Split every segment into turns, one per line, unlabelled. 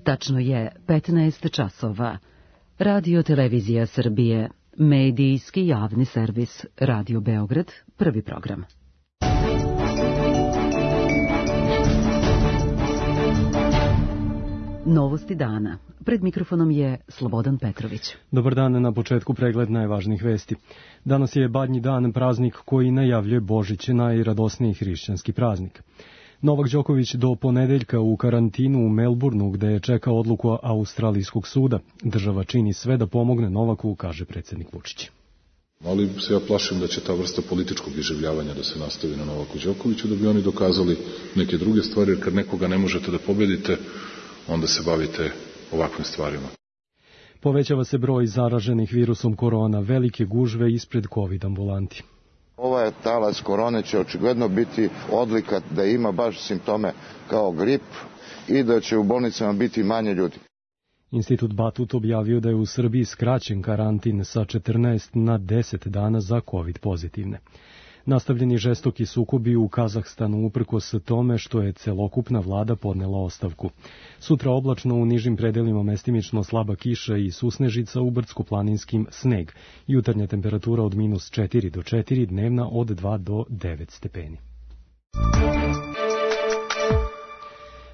Tačno je 15 časova. Radio Televizija Srbije, medijski javni servis, Radio Beograd, prvi program. Novosti dana. Pred mikrofonom je Slobodan Petrović.
Dobar dan, na početku pregled najvažnijih vesti. Danas je Badnji dan, praznik koji najavljuje Božić, najradosniji hrišćanski praznik. Novak Đoković do ponedeljka u karantinu u Melbourneu, gde je čekao odluku Australijskog suda. Država čini sve da pomogne Novaku, kaže predsjednik Vučić.
Ali se ja plašim da će ta vrsta političkog iživljavanja da se nastavi na Novaku Đokoviću, da bi oni dokazali neke druge stvari, jer kad nekoga ne možete da pobedite, onda se bavite ovakvim stvarima.
Povećava se broj zaraženih virusom korona, velike gužve ispred COVID ambulanti.
Ovaj talas korone će očigledno biti odlika da ima baš simptome kao grip i da će u bolnicama biti manje ljudi.
Institut Batut objavio da je u Srbiji skraćen karantin sa 14 na 10 dana za COVID pozitivne. Nastavljeni žestoki sukobi u Kazahstanu uprkos tome što je celokupna vlada podnela ostavku. Sutra oblačno, u nižim predelima mestimično slaba kiša i susnežica, u brdsko-planinskim sneg. Jutarnja temperatura od -4 do 4, dnevna od 2 do 9 stepeni.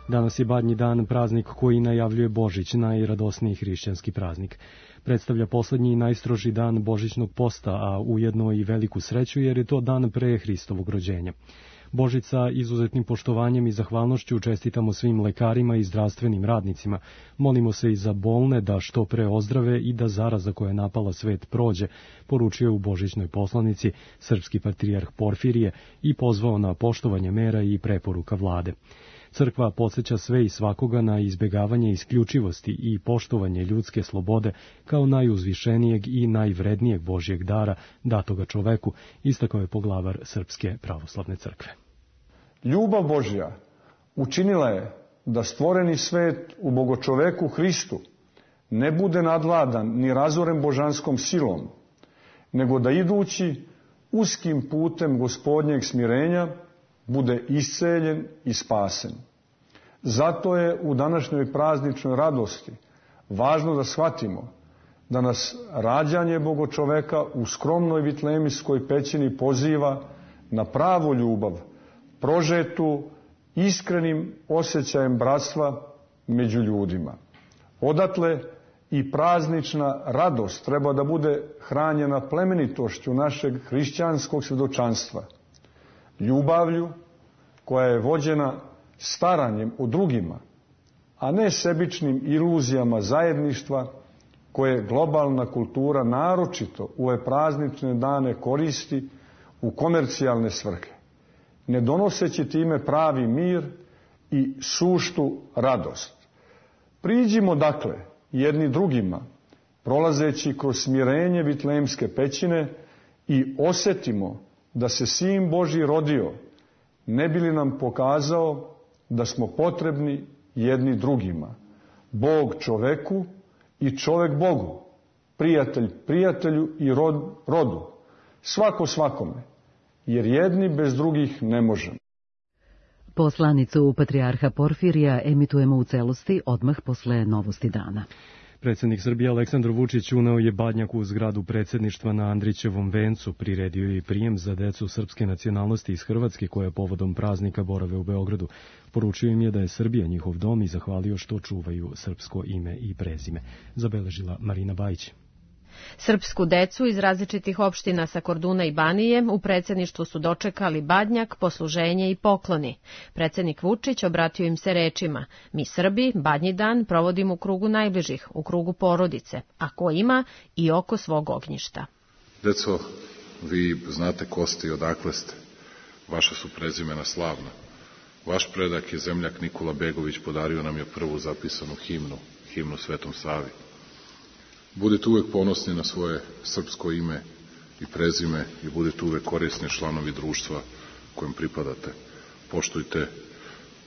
Danas je Badnji dan, praznik koji najavljuje Božić, najradosniji hrišćanski praznik. Predstavlja poslednji i najstroži dan božićnog posta, a ujedno i veliku sreću jer je to dan pre Hristovog rođenja. Božić sa izuzetnim poštovanjem i zahvalnošću čestitamo svim lekarima i zdravstvenim radnicima. Molimo se i za bolne da što pre ozdrave i da zaraza koja je napala svet prođe, poručio u božićnoj poslanici srpski patrijarh Porfirije i pozvao na poštovanje mera i preporuka vlade. Crkva podsjeća sve i svakoga na izbjegavanje isključivosti i poštovanje ljudske slobode kao najuzvišenijeg i najvrednijeg Božjeg dara datoga čoveku, istakao je poglavar Srpske pravoslavne crkve.
Ljubav Božja učinila je da stvoreni svet u bogočoveku Hristu ne bude nadvladan ni razoren božanskom silom, nego da idući uskim putem gospodnjeg smirenja bude isceljen i spasen. Zato je u današnjoj prazničnoj radosti važno da shvatimo da nas rađanje bogočoveka u skromnoj vitlemijskoj pećini poziva na pravu ljubav, prožetu iskrenim osjećajem bratstva među ljudima. Odatle i praznična radost treba da bude hranjena plemenitošću našeg hrišćanskog svjedočanstva, ljubavlju koja je vođena staranjem o drugima, a ne sebičnim iluzijama zajedništva koje globalna kultura naročito u ove praznične dane koristi u komercijalne svrhe, ne donoseći time pravi mir i suštu radost. Priđimo dakle jedni drugima, prolazeći kroz smirenje vitlemske pećine, i osjetimo da se Sin Božji rodio, ne bi li nam pokazao da smo potrebni jedni drugima, Bog čoveku i čovek Bogu, prijatelj prijatelju i rodu, svako svakome, jer jedni bez drugih ne možemo.
Poslanicu patrijarha Porfirija emitujemo u celosti odmah posle Novosti dana.
Predsjednik Srbije Aleksandar Vučić uneo je Badnjak u zgradu predsjedništva na Andrićevom vencu, priredio je prijem za decu srpske nacionalnosti iz Hrvatske koje povodom praznika borave u Beogradu. Poručio im je da je Srbija njihov dom i zahvalio što čuvaju srpsko ime i prezime, zabeležila Marina Bajić.
Srpsku decu iz različitih opština sa Korduna i Banije u predsjedništvu su dočekali Badnjak, posluženje i pokloni. Predsjednik Vučić obratio im se rečima: mi Srbi Badnji dan provodimo u krugu najbližih, u krugu porodice, a ko ima i oko svog ognjišta.
Deco, vi znate ko ste i odakle ste. Vaša su prezimena slavna. Vaš predak je zemljak Nikola Begović, podario nam je prvu zapisanu himnu Svetom Savi. Budite uvek ponosni na svoje srpsko ime i prezime i budete uvek korisni članovi društva kojem pripadate. Poštujte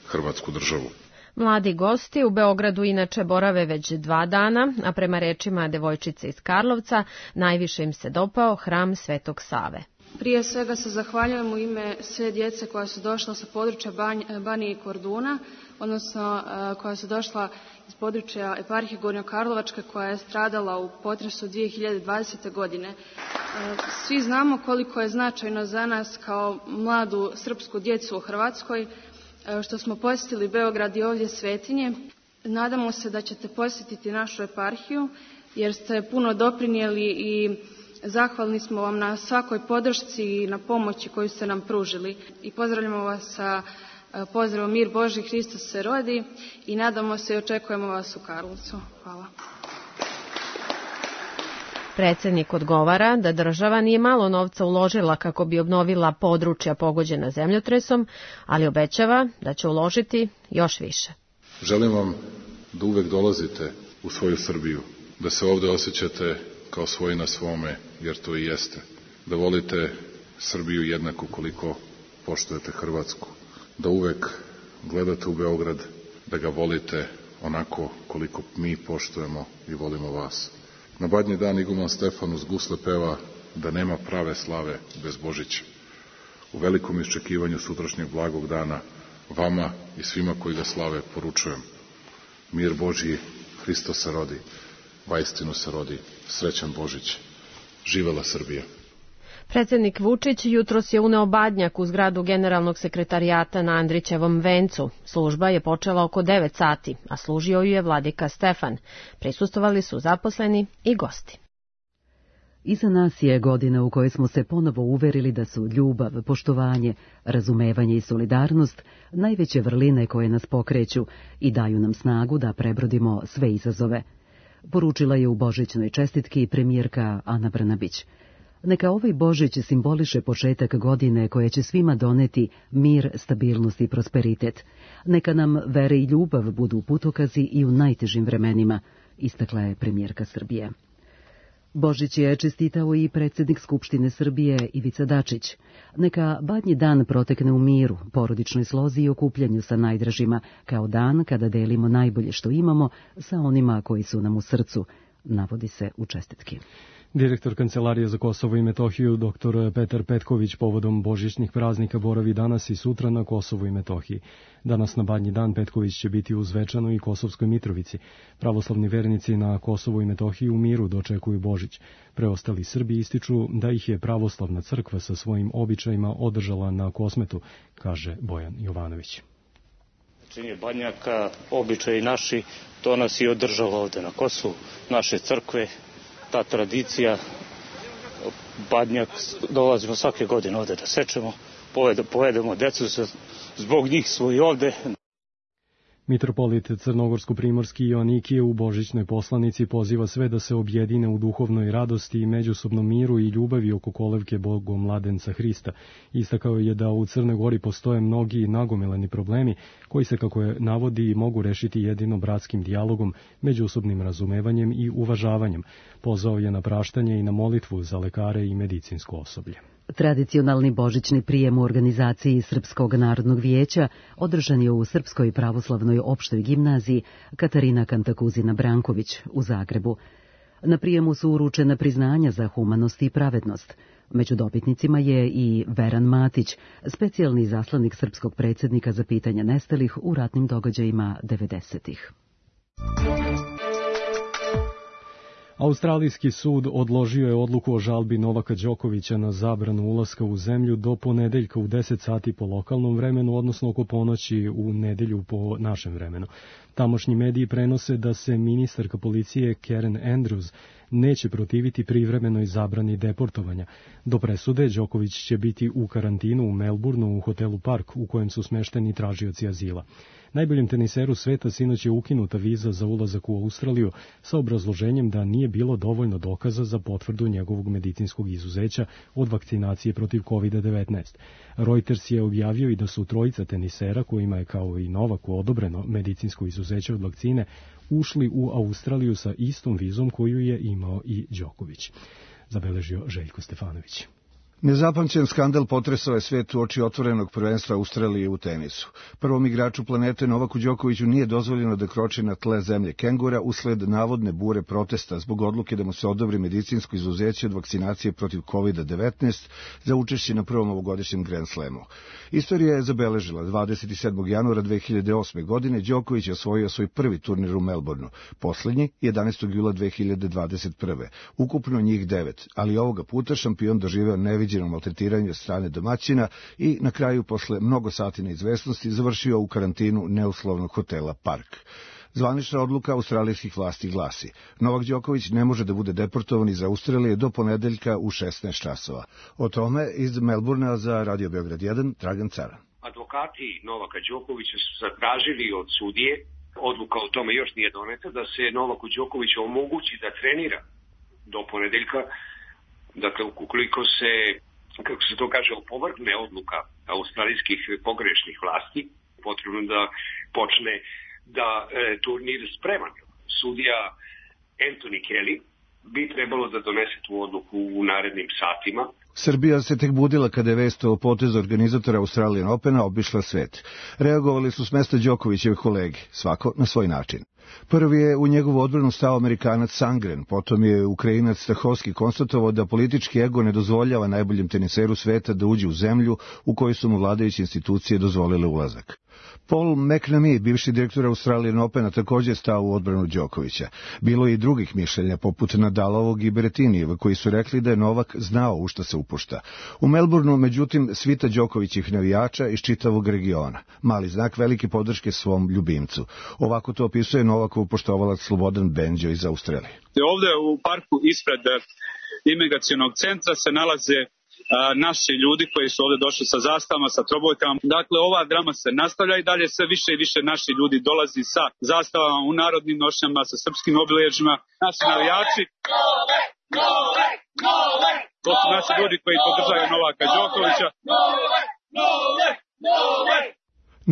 Hrvatsku državu.
Mladi gosti u Beogradu inače borave već 2 dana, a prema rečima devojčice iz Karlovca najviše im se dopao hram Svetog Save.
Prije svega se zahvaljujem u ime sve djece koja su došla sa područja Banije i Korduna, odnosno koja su došla iz područja eparhije Gornjokarlovačke koja je stradala u potresu 2020. godine. Svi znamo koliko je značajno za nas kao mladu srpsku djecu u Hrvatskoj što smo posjetili Beograd i ovdje Svetinje. Nadamo se da ćete posjetiti našu eparhiju jer ste puno doprinijeli i zahvalni smo vam na svakoj podršci i na pomoći koju ste nam pružili. I pozdravljamo vas sa pozdravom Mir Božji, Hristos se rodi i nadamo se i očekujemo vas u Karlovcu. Hvala.
Predsjednik odgovara da država nije malo novca uložila kako bi obnovila područja pogođena zemljotresom, ali obećava da će uložiti još više.
Želim vam da uvek dolazite u svoju Srbiju, da se ovde osjećate kao svoji na svome, jer to i jeste. Da volite Srbiju jednako koliko poštujete Hrvatsku. Da uvek gledate u Beograd, da ga volite onako koliko mi poštujemo i volimo vas. Na Badnji dan iguman Stefan uz gusle peva da nema prave slave bez Božića. U velikom iščekivanju sutrašnjeg blagog dana vama i svima koji ga slave poručujem. Mir Božji, Hristos se rodi, vaistinu se rodi, srećan Božić. Živela Srbija.
Predsjednik Vučić jutros je uneo Badnjak u zgradu generalnog sekretarijata na Andrićevom vencu. Služba je počela oko 9 sati, a služio ju je vladika Stefan. Prisustvovali su zaposleni i gosti.
Iza nas je godina u kojoj smo se ponovo uverili da su ljubav, poštovanje, razumevanje i solidarnost najveće vrline koje nas pokreću i daju nam snagu da prebrodimo sve izazove. Poručila je u božićnoj čestitki premijerka Ana Brnabić. Neka ovaj Božić simboliše početak godine koje će svima doneti mir, stabilnost i prosperitet. Neka nam vere i ljubav budu putokazi i u najtežim vremenima, istakla je premijerka Srbije. Božić je čestitao i predsjednik Skupštine Srbije Ivica Dačić. Neka Badnji dan protekne u miru, porodičnoj slozi i okupljanju sa najdražima, kao dan kada delimo najbolje što imamo sa onima koji su nam u srcu, navodi se u čestitki.
Direktor Kancelarije za Kosovo i Metohiju, dr. Petar Petković, povodom božićnih praznika boravi danas i sutra na Kosovu i Metohiji. Danas na Badnji dan Petković će biti u Zvečanu i Kosovskoj Mitrovici. Pravoslavni vernici na Kosovu i Metohiji u miru dočekuju Božić. Preostali Srbi ističu da ih je pravoslavna crkva sa svojim običajima održala na Kosmetu, kaže Bojan Jovanović.
Činje Badnjaka, običaji naši, to nas i održalo ovde na Kosovu, naše crkve. Ta tradicija, Badnjak, dolazimo svake godine ovde da sečemo, povedemo decu, zbog njih smo i ovde.
Mitropolit Crnogorsko-Primorski Joanikije u božićnoj poslanici poziva sve da se objedine u duhovnoj radosti i međusobnom miru i ljubavi oko kolevke Bogomladenca Hrista. Istakao je da u Crnoj Gori postoje mnogi nagomilani problemi koji se, kako je navodi, mogu rešiti jedino bratskim dijalogom, međusobnim razumevanjem i uvažavanjem. Pozvao je na praštanje i na molitvu za lekare i medicinsko osoblje.
Tradicionalni božićni prijem u organizaciji Srpskog narodnog vijeća održan je u Srpskoj pravoslavnoj opštoj gimnaziji Katarina Kantakuzina Branković u Zagrebu. Na prijemu su uručena priznanja za humanost i pravednost. Među dobitnicima je i Veran Matić, specijalni izaslanik srpskog predsjednika za pitanja nestalih u ratnim događajima 90-ih.
Australijski sud odložio je odluku o žalbi Novaka Đokovića na zabranu ulaska u zemlju do ponedeljka u 10 sati po lokalnom vremenu, odnosno oko ponoći u nedelju po našem vremenu. Tamošnji mediji prenose da se ministarka policije Karen Andrews neće protiviti privremenoj zabrani deportovanja. Do presude Đoković će biti u karantinu u Melbourneu u hotelu Park u kojem su smešteni tražioci azila. Najboljem teniseru sveta sinoć je ukinuta viza za ulazak u Australiju sa obrazloženjem da nije bilo dovoljno dokaza za potvrdu njegovog medicinskog izuzeća od vakcinacije protiv COVID-19. Reuters je objavio i da su trojica tenisera, kojima je kao i Novaku odobreno medicinsko izuzeće od vakcine, ušli u Australiju sa istom vizom koju je imao i Đoković, zabeležio Željko Stefanović.
Nezapamćen skandal potresao je svet uoči otvorenog prvenstva Australije u tenisu. Prvom igraču planete Novaku Đokoviću nije dozvoljeno da kroči na tle zemlje kengura usled navodne bure protesta zbog odluke da mu se odobri medicinsko izuzeće od vakcinacije protiv COVID-19 za učešće na prvom ovogodišnjem Grand Slamu. Istorija je zabeležila 27. januara 2008. godine Đoković je osvojio svoj prvi turnir u Melbourneu, poslednji 11. jula 2021. Ukupno njih 9, ali ovoga puta šampion doživeo neviđeno maltretiranje od strane domaćina i na kraju posle mnogo sati neizvesnosti završio u karantinu neuslovnog hotela Park. Zvanična odluka australijskih vlasti glasi: Novak Đoković ne može da bude deportovan iz Australije do ponedeljka u 16 časova. O tome iz Melbournea za Radio Beograd 1 Dragan Cara.
Advokati Novaka Đokovića su zatražili od sudije, odluka o tome još nije doneta, da se Novaku Đokoviću omogući da trenira do ponedeljka. Dakle, ukoliko se, kako se to kaže, opovrgne odluka australijskih pogrešnih vlasti, potrebno da počne da turnir spreman. Sudija Anthony Kelly bi trebalo da donese tu odluku u narednim satima.
Srbija se tek budila kada je vest o potezu organizatora Australian Opena obišla svet. Reagovali su s mesta Đokovićeve kolege, svako na svoj način. Prvi je u njegovu odbranu stao Amerikanac Sangren, potom je Ukrajinac Stahovski konstatovao da politički ego ne dozvoljava najboljem teniseru sveta da uđe u zemlju u kojoj su mu vladajuće institucije dozvolile ulazak. Paul McNamee, bivši direktor Australian Opena, također stao u odbranu Đokovića. Bilo je i drugih mišljenja, poput Nadalovog i Berettinijeva, koji su rekli da je Novak znao u šta se upušta. U Melbourneu, međutim, svita Đokovićih navijača iz čitavog regiona. Mali znak velike podrške svom ljubimcu. Ovako to opisuje Novakov poštovalac Slobodan Benđo iz Australije.
Ovde u parku ispred imigracionog centra se nalaze naši ljudi koji su ovde došli sa zastavama, sa trobojkama. Dakle, ova drama se nastavlja i dalje sve više i više naši ljudi dolazi sa zastavama u narodnim nošnjama, sa srpskim obilježjima. Naši navijači, to su naši ljudi koji podržaju Novaka Đokovića.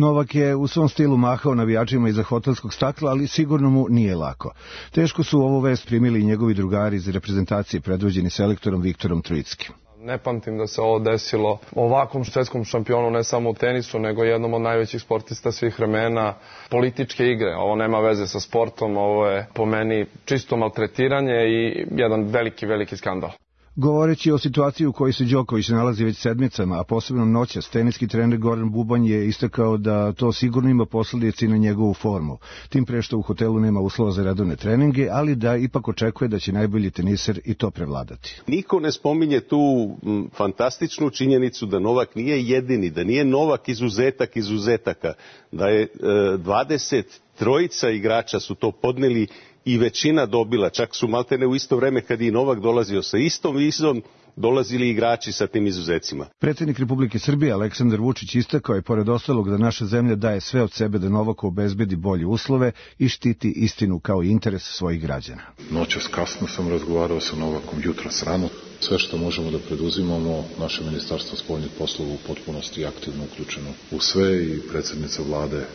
Novak je u svom stilu mahao navijačima iza hotelskog stakla, ali sigurno mu nije lako. Teško su ovu vest primili i njegovi drugari iz reprezentacije predvođeni selektorom Viktorom Trojickim.
Ne pamtim da se ovo desilo ovakvom svetskom šampionu, ne samo u tenisu, nego jednom od najvećih sportista svih vremena. Političke igre, ovo nema veze sa sportom, ovo je po meni čisto maltretiranje i jedan veliki skandal.
Govoreći o situaciji u kojoj se Đoković nalazi već sedmicama, a posebno noćas, teniski trener Goran Bubanj je istakao da to sigurno ima posledice na njegovu formu. Tim pre što u hotelu nema uslova za redovne treninge, ali da ipak očekuje da će najbolji teniser i to prevladati.
Niko ne spominje tu fantastičnu činjenicu da Novak nije jedini, da nije Novak izuzetak izuzetaka, da je 23 igrača su to podneli i većina dobila, čak su maltene u isto vreme kad i Novak dolazio sa istom vizom, dolazili igrači sa tim izuzecima.
Predsjednik Republike Srbije Aleksandar Vučić istakao je pored ostalog da naša zemlja daje sve od sebe da Novaku obezbedi bolje uslove i štiti istinu kao interes svojih građana.
Noćas kasno sam razgovarao sa Novakom, jutros rano. Sve što možemo da preduzimamo, naše ministarstvo spoljnih poslova u potpunosti aktivno uključeno u sve i predsjednica vlade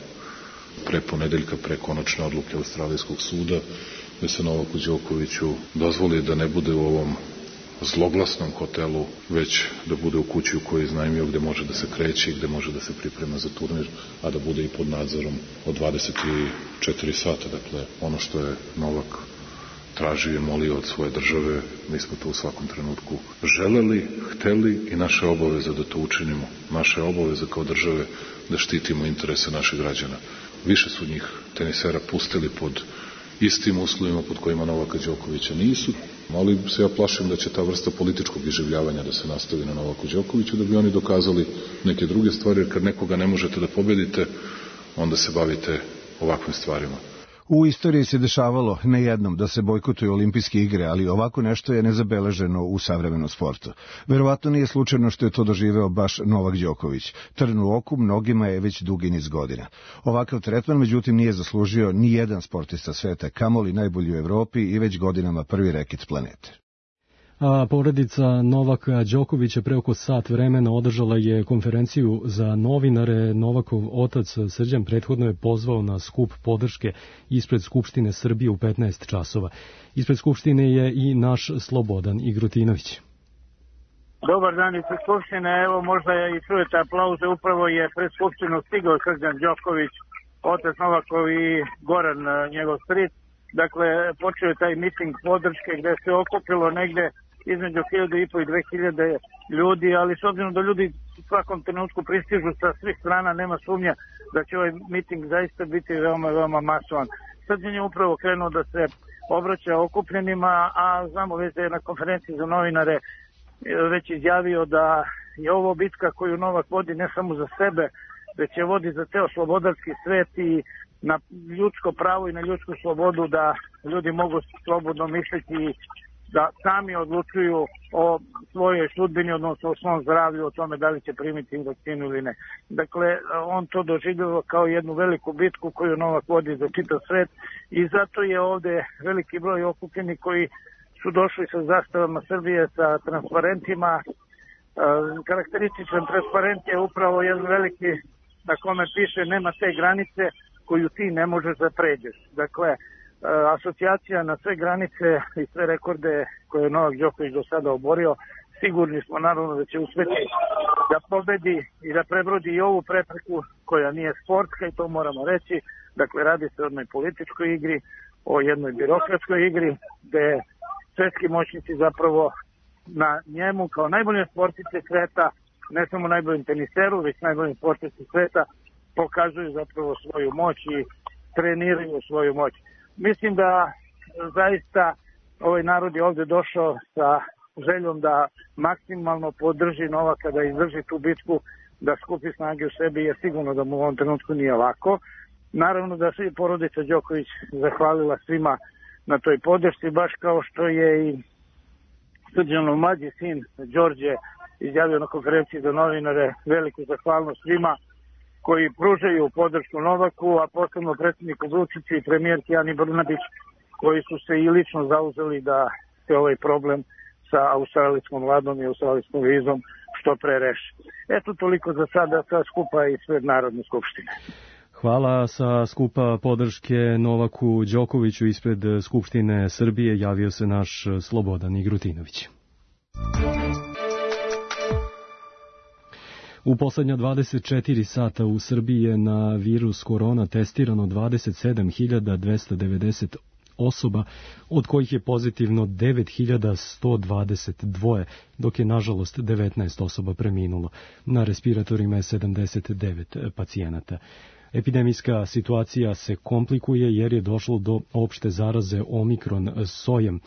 pre ponedeljka, pre konačne odluke Australijskog suda, da se Novaku Đokoviću dozvoli da ne bude u ovom zloglasnom hotelu, već da bude u kući u kojoj je iznajmio, gde može da se kreće i gde može da se priprema za turnir, a da bude i pod nadzorom od 24 sata. Dakle, ono što je Novak tražio i molio od svoje države, mi smo to u svakom trenutku želeli, hteli i naša obaveza da to učinimo. Naša obaveza kao države da štitimo interese naših građana. Više su njih tenisera pustili pod istim uslovima pod kojima Novaka Đokovića nisu, ali se ja plašim da će ta vrsta političkog iživljavanja da se nastavi na Novaku Đokoviću, da bi oni dokazali neke druge stvari, jer kad nekoga ne možete da pobedite, onda se bavite ovakvim stvarima.
U istoriji se dešavalo ne jednom da se bojkotuju olimpijske igre, ali ovako nešto je nezabeleženo u savremenom sportu. Verovatno nije slučajno što je to doživeo baš Novak Đoković. Trn u oku mnogima je već dugi niz godina. Ovakav tretman, međutim, nije zaslužio ni jedan sportista sveta, kamoli najbolji u Evropi i već godinama prvi reket planete.
A porodica Novaka Đokovića pre oko sat vremena održala je konferenciju za novinare. Novakov otac Srđan prethodno je pozvao na skup podrške ispred Skupštine Srbije u 15 časova. Ispred Skupštine je i naš Slobodan Igrotinović.
Dobar dan iz Skupštine, evo možda i čujete aplauze, upravo je pred Skupštinu stigao Srđan Đoković, otac Novakov i Goran, njegov stric. Dakle, počeo je taj miting podrške gde se okupilo negde između 1.500 i 2.000 ljudi, ali s obzirom da ljudi u svakom trenutku pristižu sa svih strana, nema sumnja da će ovaj miting zaista biti veoma, veoma masovan. Srđan je upravo krenuo da se obraća okupljenima, a znamo već da je na konferenciji za novinare već izjavio da je ovo bitka koju Novak vodi ne samo za sebe, već je vodi za ceo slobodarski svet i na ljudsko pravo i na ljudsku slobodu da ljudi mogu slobodno misliti da sami odlučuju o svojoj sudbini, odnosno o svom zdravlju, o tome da li će primiti vakcinu ili ne. Dakle, on to doživljava kao jednu veliku bitku koju Novak vodi za čitav svet i zato je ovde veliki broj okupljenih koji su došli sa zastavama Srbije, sa transparentima. Karakterističan transparent je upravo jedan veliki na kome piše nema te granice koju ti ne možeš da pređeš. Dakle, asocijacija na sve granice i sve rekorde koje je Novak Đoković do sada oborio, sigurni smo naravno da će uspeti da pobedi i da prebrodi i ovu prepreku koja nije sportska i to moramo reći. Dakle, radi se o jednoj političkoj igri, o jednoj birokratskoj igri, gde svetski moćnici zapravo na njemu kao najbolje sportice sveta, ne samo najboljim teniseru, već najboljim sportice sveta, pokazuju zapravo svoju moć i treniraju svoju moć. Mislim da zaista ovaj narod je ovde došao sa željom da maksimalno podrži Novaka, da izdrži tu bitku, da skupi snage u sebi, je sigurno da mu u ovom trenutku nije lako. Naravno da se i porodica Đoković zahvalila svima na toj podršci, baš kao što je i Srđanov mlađi sin Đorđe izjavio na konferenciji za novinare veliku zahvalnost svima koji pružaju podršku Novaku, a posebno predsjedniku Vučiću i premijerki Ani Brnabić, koji su se i lično zauzeli da se ovaj problem sa australijskom vladom i australijskom vizom što pre reši. Eto toliko za sada sa skupa ispred Narodne skupštine.
Hvala. Sa skupa podrške Novaku Đokoviću ispred Skupštine Srbije javio se naš Slobodan Igrutinović. U poslednja 24 sata u Srbiji je na virus korona testirano 27.290 osoba, od kojih je pozitivno 9.122, dok je nažalost 19 osoba preminulo. Na respiratorima je 79 pacijenata. Epidemijska situacija se komplikuje jer je došlo do opšte zaraze omikron sojem.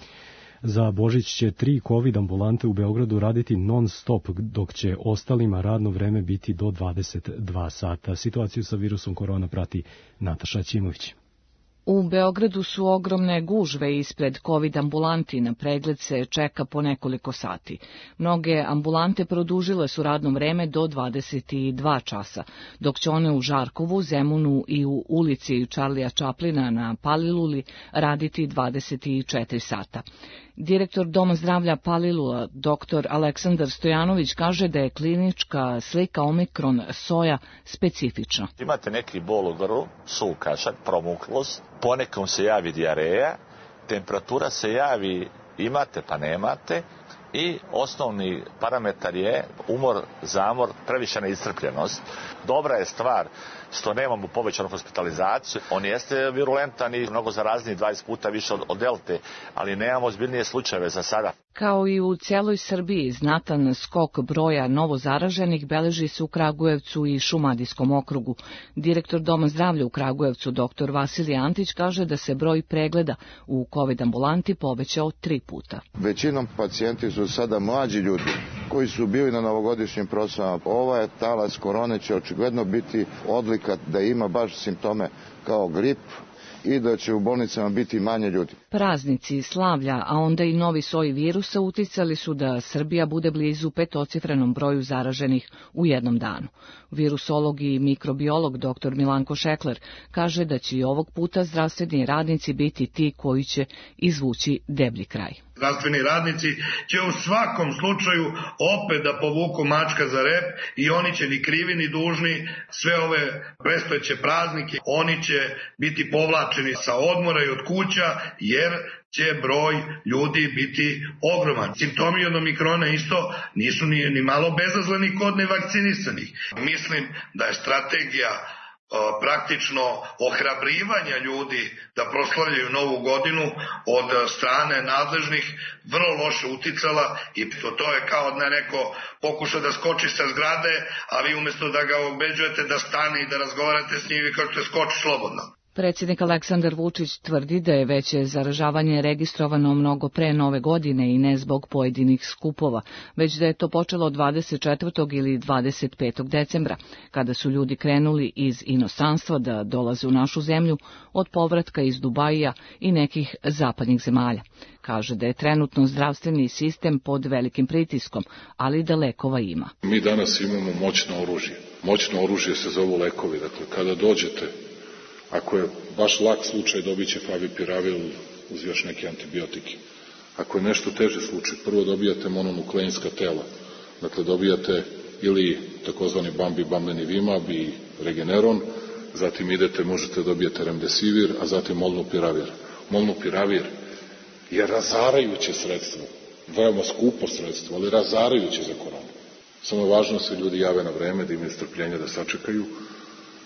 Za Božić će 3 COVID ambulante u Beogradu raditi non stop, dok će ostalima radno vreme biti do 22 sata. Situaciju sa virusom korona prati Nataša Ćimović.
U Beogradu su ogromne gužve ispred COVID ambulanti, na pregled se čeka po nekoliko sati. Mnoge ambulante produžile su radno vreme do 22 časa, dok će one u Žarkovu, Zemunu i u ulici Čarlija Čaplina na Paliluli raditi 24 sata. Direktor Doma zdravlja Palilula, dr. Aleksandar Stojanović, kaže da je klinička slika omikron soja specifična.
Imate neki bol u grlu, suv kašak, promuklost, ponekom se javi dijareja, temperatura se javi imate pa nemate i osnovni parametar je umor, zamor, previšena iscrpljenost. Dobra je stvar što nemamo povećanu hospitalizaciju. On jeste virulentan i mnogo zarazniji, 20 puta više od delte, ali nemamo ozbiljnije slučajeve za sada.
Kao i u cijeloj Srbiji, znatan skok broja novozaraženih beleži se u Kragujevcu i Šumadijskom okrugu. Direktor Doma zdravlja u Kragujevcu, dr. Vasilij Antić, kaže da se broj pregleda u COVID ambulanti povećao 3 puta.
Većinom pacijenti su sada mlađi ljudi koji su bili na novogodišnjim proslavama. Ovaj talas korone će očigledno biti odlika da ima baš simptome kao grip i da će u bolnicama biti manje ljudi.
Praznici, slavlja, a onda i novi soj virusa uticali su da Srbija bude blizu petocifrenom broju zaraženih u jednom danu. Virusolog i mikrobiolog dr. Milanko Šekler kaže da će i ovog puta zdravstveni radnici biti ti koji će izvući deblji kraj.
Zdravstveni radnici će u svakom slučaju opet da povuku mačka za rep i oni će ni krivi ni dužni sve ove predstojeće praznike, oni će biti povlačeni izvlačeni sa odmora i od kuća, jer će broj ljudi biti ogroman. Simptomi od omikrona isto nisu ni malo bezazleni kod nevakcinisanih. Mislim da je strategija praktično ohrabrivanja ljudi da proslavljaju novu godinu od strane nadležnih vrlo loše uticala i to je kao da neko pokuša da skoči sa zgrade, a vi umesto da ga ubeđujete da stane i da razgovarate s njim, vi kažete skoči slobodno.
Predsjednik Aleksandar Vučić tvrdi da je veće zaražavanje registrovano mnogo pre Nove godine i ne zbog pojedinih skupova, već da je to počelo 24. ili 25. decembra, kada su ljudi krenuli iz inostranstva da dolaze u našu zemlju od povratka iz Dubaija i nekih zapadnih zemalja. Kaže da je trenutno zdravstveni sistem pod velikim pritiskom, ali da lekova ima.
Mi danas imamo moćno oružje. Moćno oružje se zovu lekovi. Dakle, kada dođete, ako je baš lak slučaj, dobit će favipiravir uz još neke antibiotike. Ako je nešto teže slučaj, prvo dobijate mononukleinska tela. Dakle, dobijate ili takozvani bambenivimab i regeneron, zatim možete dobijete remdesivir, a zatim molnupiravir. Molnupiravir je razarajuće sredstvo, veoma skupo sredstvo, ali razarajuće za koronu. Samo je važno da se ljudi jave na vreme, da imaju strpljenja da sačekaju,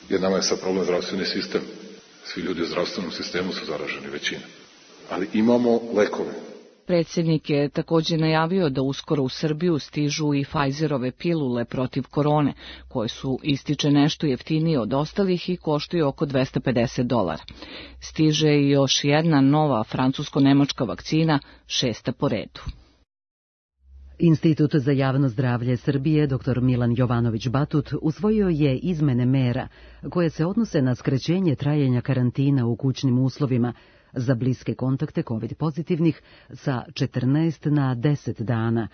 jer nama je sad problem zdravstveni sistem. Svi ljudi u zdravstvenom sistemu su zaraženi, većina. Ali imamo lekove.
Predsjednik je također najavio da uskoro u Srbiju stižu i Pfizerove pilule protiv korone, koje su, ističe, nešto jeftinije od ostalih i koštaju oko $250. Stiže i još jedna nova francusko-nemačka vakcina, 6. po redu.
Institut za javno zdravlje Srbije, dr. Milan Jovanović Batut, usvojio je izmene mera koje se odnose na skraćenje trajanja karantina u kućnim uslovima za bliske kontakte COVID pozitivnih sa 14 na 10 dana,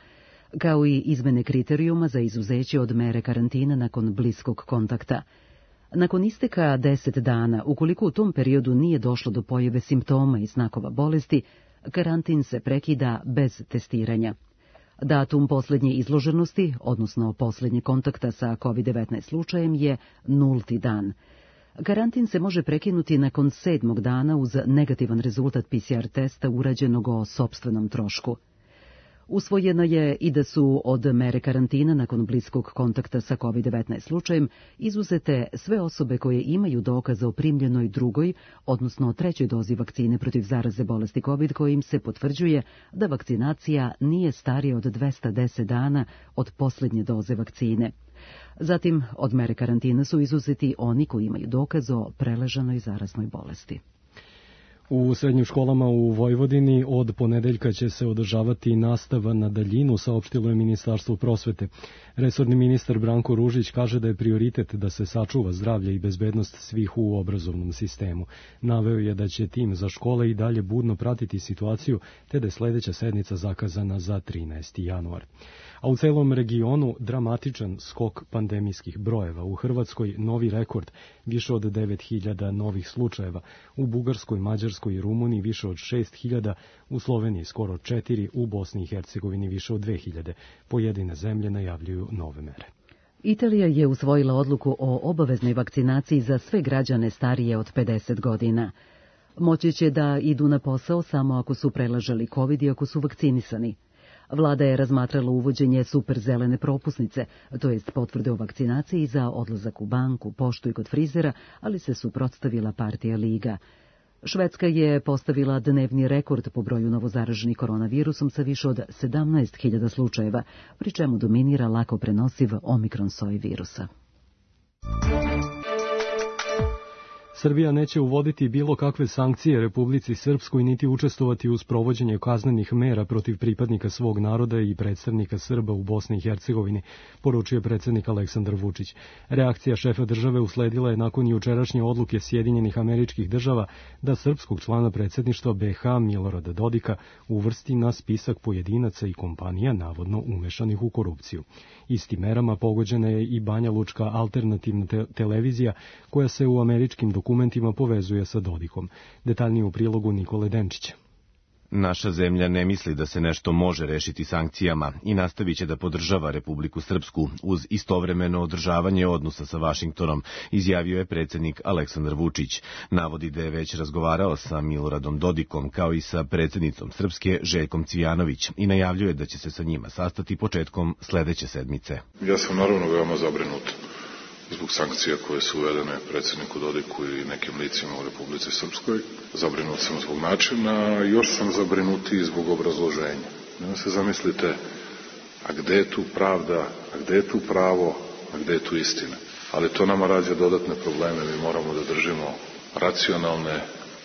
kao i izmene kriterijuma za izuzeće od mere karantina nakon bliskog kontakta. Nakon isteka 10 dana, ukoliko u tom periodu nije došlo do pojave simptoma i znakova bolesti, karantin se prekida bez testiranja. Datum posljednje izloženosti, odnosno posljednje kontakta sa COVID-19 slučajem, je 0. dan. Karantin se može prekinuti nakon 7. dana uz negativan rezultat PCR testa urađenog o sopstvenom trošku. Usvojeno je i da su od mere karantina nakon bliskog kontakta sa COVID-19 slučajem izuzete sve osobe koje imaju dokaz o primljenoj drugoj, odnosno 3. dozi vakcine protiv zaraze bolesti COVID, kojim se potvrđuje da vakcinacija nije starija od 210 dana od posljednje doze vakcine. Zatim, od mere karantina su izuzeti oni koji imaju dokaz o preležanoj zaraznoj bolesti.
U srednjim školama u Vojvodini od ponedeljka će se održavati nastava na daljinu, saopštilo je Ministarstvo prosvete. Resorni ministar Branko Ružić kaže da je prioritet da se sačuva zdravlje i bezbednost svih u obrazovnom sistemu. Naveo je da će tim za škole i dalje budno pratiti situaciju, te da je sledeća sednica zakazana za 13. januar. A u celom regionu dramatičan skok pandemijskih brojeva. U Hrvatskoj novi rekord, više od 9.000 novih slučajeva. U Bugarskoj, Mađarskoj i Rumuniji više od 6.000, u Sloveniji skoro 4, u Bosni i Hercegovini više od 2.000. Pojedine zemlje najavljuju nove mere.
Italija je usvojila odluku o obaveznoj vakcinaciji za sve građane starije od 50 godina. Moći će da idu na posao samo ako su prelažali COVID i ako su vakcinisani. Vlada je razmatrala uvođenje superzelene propusnice, to jest potvrde o vakcinaciji za odlazak u banku, poštu i kod frizera, ali se suprotstavila partija Liga. Švedska je postavila dnevni rekord po broju novozaraženih koronavirusom sa više od 17.000 slučajeva, pri čemu dominira lako prenosiv omikron soj virusa.
Srbija neće uvoditi bilo kakve sankcije Republici Srpskoj niti učestvovati u sprovođenju kaznenih mera protiv pripadnika svog naroda i predstavnika Srba u Bosni i Hercegovini, poručio predsjednik Aleksandar Vučić. Reakcija šefa države usledila je nakon jučerašnje odluke Sjedinjenih Američkih Država da srpskog člana predsjedništva BiH Milorada Dodika uvrsti na spisak pojedinaca i kompanija navodno umešanih u korupciju. Istim merama pogođena je i Banja Lučka alternativna televizija koja se u američkim dokumentima povezuje sa Dodikom. Detaljnije u prilogu Nikole Denčića.
Naša zemlja ne misli da se nešto može rešiti sankcijama i nastavit će da podržava Republiku Srpsku uz istovremeno održavanje odnosa sa Vašingtonom, izjavio je predsjednik Aleksandar Vučić. Navodi da je već razgovarao sa Miloradom Dodikom kao i sa predsjednicom Srpske Željkom Cvijanović i najavljuje da će se sa njima sastati početkom sledeće sedmice.
Ja sam naravno veoma zabrinut zbog sankcija koje su uvedene predsjedniku Dodiku i nekim licima u Republici Srpskoj. Zabrinut sam zbog načina, još sam zabrinutiji zbog obrazloženja. Nema se zamislite, a gde je tu pravda, a gde je tu pravo, a gde je tu istina. Ali to nama rađa dodatne probleme, mi moramo da držimo racionalne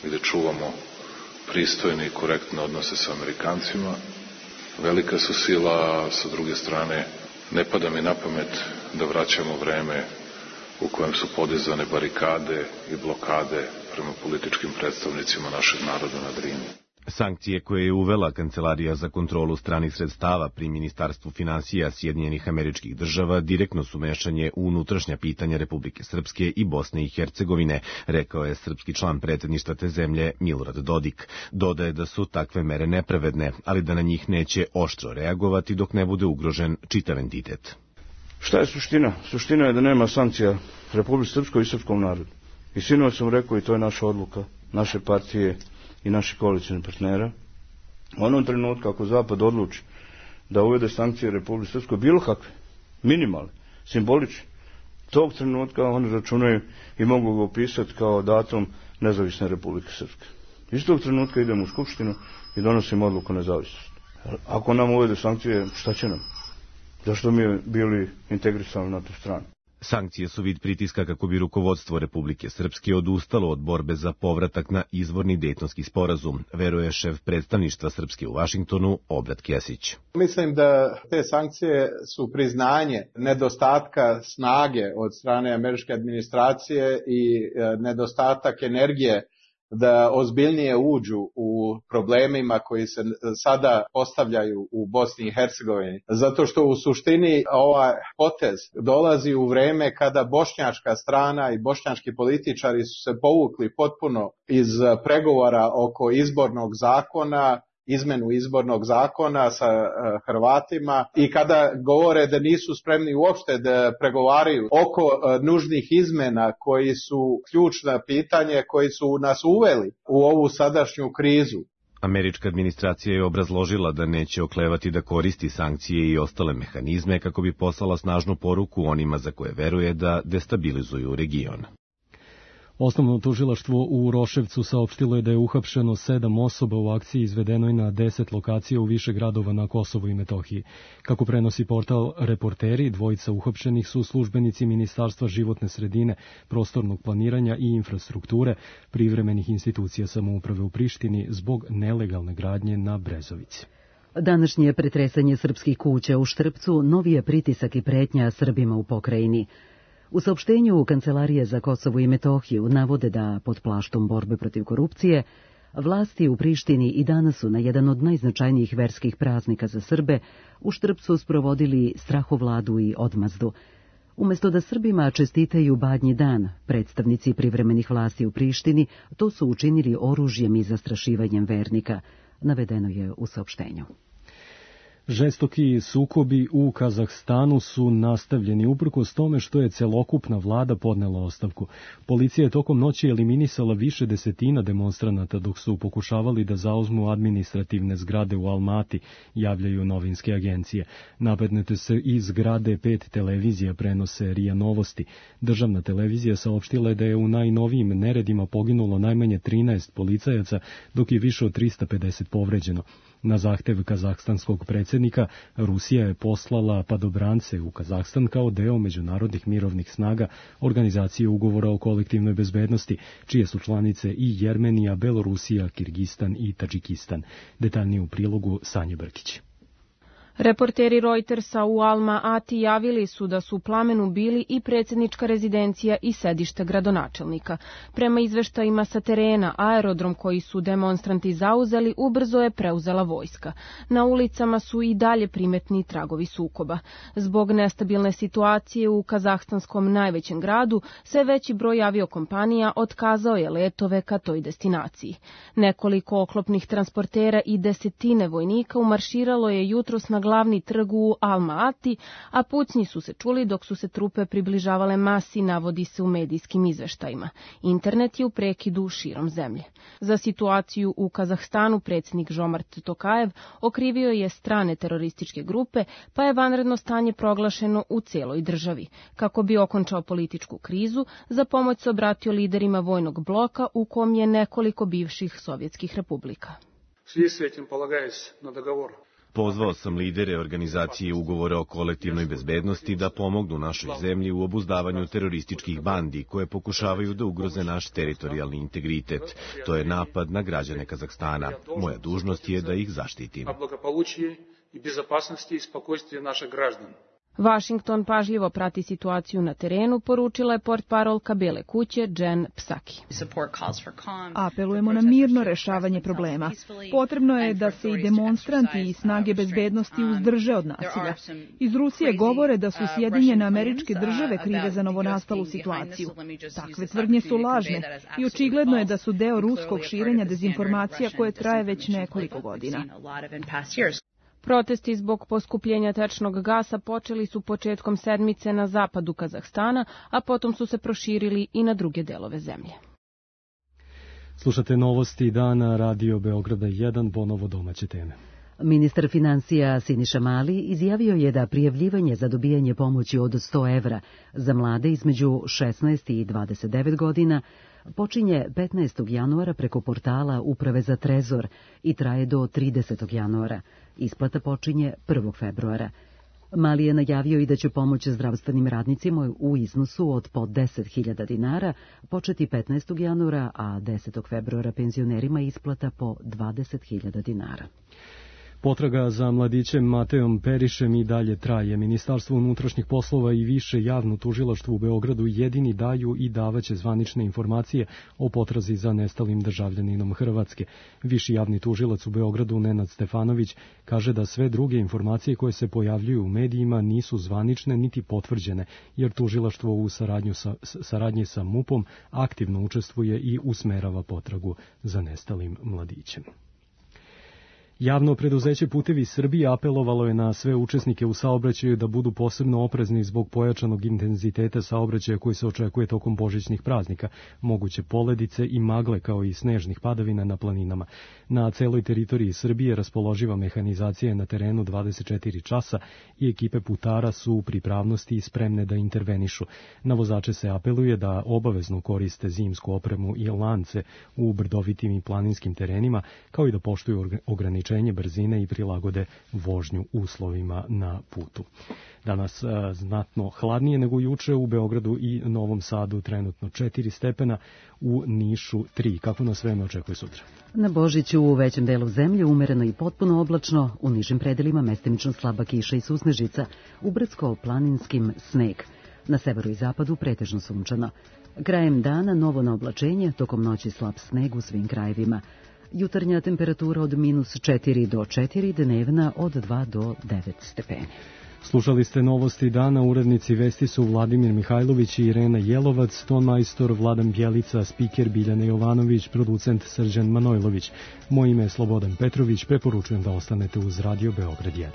i da čuvamo pristojne i korektne odnose sa Amerikancima. Velika su sila, sa druge strane, ne pada mi na pamet da vraćamo vreme u kojem su podizane barikade i blokade prema političkim predstavnicima našeg naroda na Drini.
Sankcije koje je uvela Kancelarija za kontrolu stranih sredstava pri Ministarstvu finansija Sjedinjenih Američkih Država direktno su mešanje u unutrašnja pitanja Republike Srpske i Bosne i Hercegovine, rekao je srpski član predsjedništva te zemlje Milorad Dodik. Dodaje da su takve mere nepravedne, ali da na njih neće oštro reagovati dok ne bude ugrožen čitav entitet.
Šta je suština? Suština je da nema sankcija Republike Srpskoj i srpskom narodu. I sinoć sam rekao, i to je naša odluka, naše partije i naših koalicijnih partnera. U onom trenutku, ako Zapad odluči da uvede sankcije Republike Srpskoj, bilo kakve, minimalne, simbolične, tog trenutka oni računaju i mogu ga opisati kao datum nezavisne Republike Srpske. Iz tog trenutka idemo u Skupštinu i donosimo odluku o nezavisnosti. Ako nam uvede sankcije, šta će nam? Zašto mi bili integrisani na tu stranu?
Sankcije su vid pritiska kako bi rukovodstvo Republike Srpske odustalo od borbe za povratak na izvorni Dejtonski sporazum, veruje šef predstavništva Srpske u Vašingtonu, Obrat Kesić.
Mislim da te sankcije su priznanje nedostatka snage od strane američke administracije i nedostatak energije da ozbiljnije uđu u problemima koji se sada postavljaju u Bosni i Hercegovini. Zato što u suštini ovaj potez dolazi u vreme kada bošnjačka strana i bošnjački političari su se povukli potpuno iz pregovora oko izbornog zakona, izmenu izbornog zakona sa Hrvatima i kada govore da nisu spremni uopšte da pregovaraju oko nužnih izmena koji su ključna pitanje koji su nas uveli u ovu sadašnju krizu.
Američka administracija je obrazložila da neće oklevati da koristi sankcije i ostale mehanizme kako bi poslala snažnu poruku onima za koje veruje da destabilizuju region.
Osnovno tužilaštvo u Roševcu saopštilo je da je uhapšeno 7 osoba u akciji izvedenoj na 10 lokacija u više gradova na Kosovu i Metohiji. Kako prenosi portal Reporteri, dvojica uhapšenih su službenici Ministarstva životne sredine, prostornog planiranja i infrastrukture, privremenih institucija samouprave u Prištini zbog nelegalne gradnje na Brezovici.
Današnje pretresanje srpskih kuća u Štrpcu novi je pritisak i pretnja Srbima u pokrajini. U saopštenju Kancelarije za Kosovo i Metohiju navode da pod plaštom borbe protiv korupcije vlasti u Prištini i danas su na jedan od najznačajnijih verskih praznika za Srbe u Štrpcu sprovodili strahovladu i odmazdu. Umjesto da Srbima čestitaju Badnji dan, predstavnici privremenih vlasti u Prištini to su učinili oružjem i zastrašivanjem vernika, navedeno je u saopštenju.
Žestoki sukobi u Kazahstanu su nastavljeni uprkos tome što je celokupna vlada podnela ostavku. Policija je tokom noći eliminisala više desetina demonstranata dok su pokušavali da zauzmu administrativne zgrade u Almati, javljaju novinske agencije. Napadnute se iz zgrade 5 televizija, prenose RIA Novosti. Državna televizija saopštila je da je u najnovijim neredima poginulo najmanje 13 policajaca, dok je više od 350 povređeno. Na zahtev kazahstanskog predsjednika, Rusija je poslala padobrance u Kazahstan kao deo međunarodnih mirovnih snaga Organizacije ugovora o kolektivnoj bezbednosti, čije su članice i Jermenija, Belorusija, Kirgistan i Tadžikistan. Detaljnije u prilogu Sanje Brkić.
Reporteri Reutersa u Alma Ati javili su da su u plamenu bili i predsjednička rezidencija i sedište gradonačelnika. Prema izveštajima sa terena, aerodrom koji su demonstranti zauzeli ubrzo je preuzela vojska. Na ulicama su i dalje primetni tragovi sukoba. Zbog nestabilne situacije u kazahstanskom najvećem gradu, sve veći broj aviokompanija otkazao je letove ka toj destinaciji. Nekoliko oklopnih transportera i desetine vojnika umarširalo je jutros na glavni trg u Alma-Ati, a pucnji su se čuli dok su se trupe približavale masi, navodi se u medijskim izveštajima. Internet je u prekidu širom zemlje. Za situaciju u Kazahstanu predsjednik Žomart Tokajev okrivio je strane terorističke grupe, pa je vanredno stanje proglašeno u cijeloj državi. Kako bi okončao političku krizu, za pomoć se obratio liderima vojnog bloka u kom je nekoliko bivših sovjetskih republika.
Pozvao sam lidere organizacije ugovora o kolektivnoj bezbednosti da pomognu našoj zemlji u obuzdavanju terorističkih bandi koje pokušavaju da ugroze naš teritorijalni integritet. To je napad na građane Kazahstana. Moja dužnost je da ih zaštitim.
Washington pažljivo prati situaciju na terenu, poručila je portparolka Bele kuće Jen Psaki.
Apelujemo na mirno rešavanje problema. Potrebno je da se i demonstranti i snage bezbednosti uzdrže od nasilja. Iz Rusije govore da su Sjedinjene Američke Države krive za novonastalu situaciju. Takve tvrdnje su lažne i očigledno je da su deo ruskog širenja dezinformacija koje traje već nekoliko godina.
Protesti zbog poskupljenja tečnog gasa počeli su početkom sedmice na zapadu Kazahstana, a potom su se proširili i na druge delove zemlje.
Slušate novosti dana Radio Beograda 1, ponovo domaće teme.
Ministar financija Siniša Mali izjavio je da prijavljivanje za dobijanje pomoći od 100 evra za mlade između 16 i 29 godina počinje 15. januara preko portala Uprave za trezor i traje do 30. januara. Isplata počinje 1. februara. Mali je najavio i da će pomoć zdravstvenim radnicima u iznosu od po 10.000 dinara početi 15. januara, a 10. februara penzionerima isplata po 20.000 dinara.
Potraga za mladićem Mateom Perišem i dalje traje. Ministarstvo unutrašnjih poslova i više javno tužilaštvo u Beogradu jedini daju i davaće zvanične informacije o potrazi za nestalim državljaninom Hrvatske. Viši javni tužilac u Beogradu Nenad Stefanović kaže da sve druge informacije koje se pojavljuju u medijima nisu zvanične niti potvrđene, jer tužilaštvo u saradnji sa MUP-om aktivno učestvuje i usmerava potragu za nestalim mladićem. Javno preduzeće Putevi Srbije apelovalo je na sve učesnike u saobraćaju da budu posebno oprezni zbog pojačanog intenziteta saobraćaja koji se očekuje tokom božićnih praznika, moguće poledice i magle kao i snežnih padavina na planinama. Na celoj teritoriji Srbije raspoloživa mehanizacija je na terenu 24 časa i ekipe putara su u pripravnosti i spremne da intervenišu. Na vozače se apeluje da obavezno koriste zimsku opremu i lance u brdovitim i planinskim terenima, kao i da poštuju ograničenje brzine i prilagode vožnju uslovima na putu. Danas znatno hladnije nego juče, u Beogradu i Novom Sadu trenutno 4 stepena, u Nišu 3. Kako nas vreme očekuje sutra?
Na Božiću u većem delu zemlje umereno i potpuno oblačno, u nižim predelima mestimično slaba kiša i susnežica, u brdsko-planinskim sneg. Na severu i zapadu pretežno sunčano. Krajem dana novo na oblačenje, tokom noći slab sneg u svim krajevima. Jutarnja temperatura od -4 do 4, dnevna od 2 do 9 stepeni.
Slušali ste novosti dana, urednici vesti su Vladimir Mihajlović i Irena Jelovac, tonmajstor Vladan Bjelica, spiker Biljana Jovanović, producent Srđan Manojlović. Moje ime je Slobodan Petrović, preporučujem da ostanete uz Radio Beograd 1.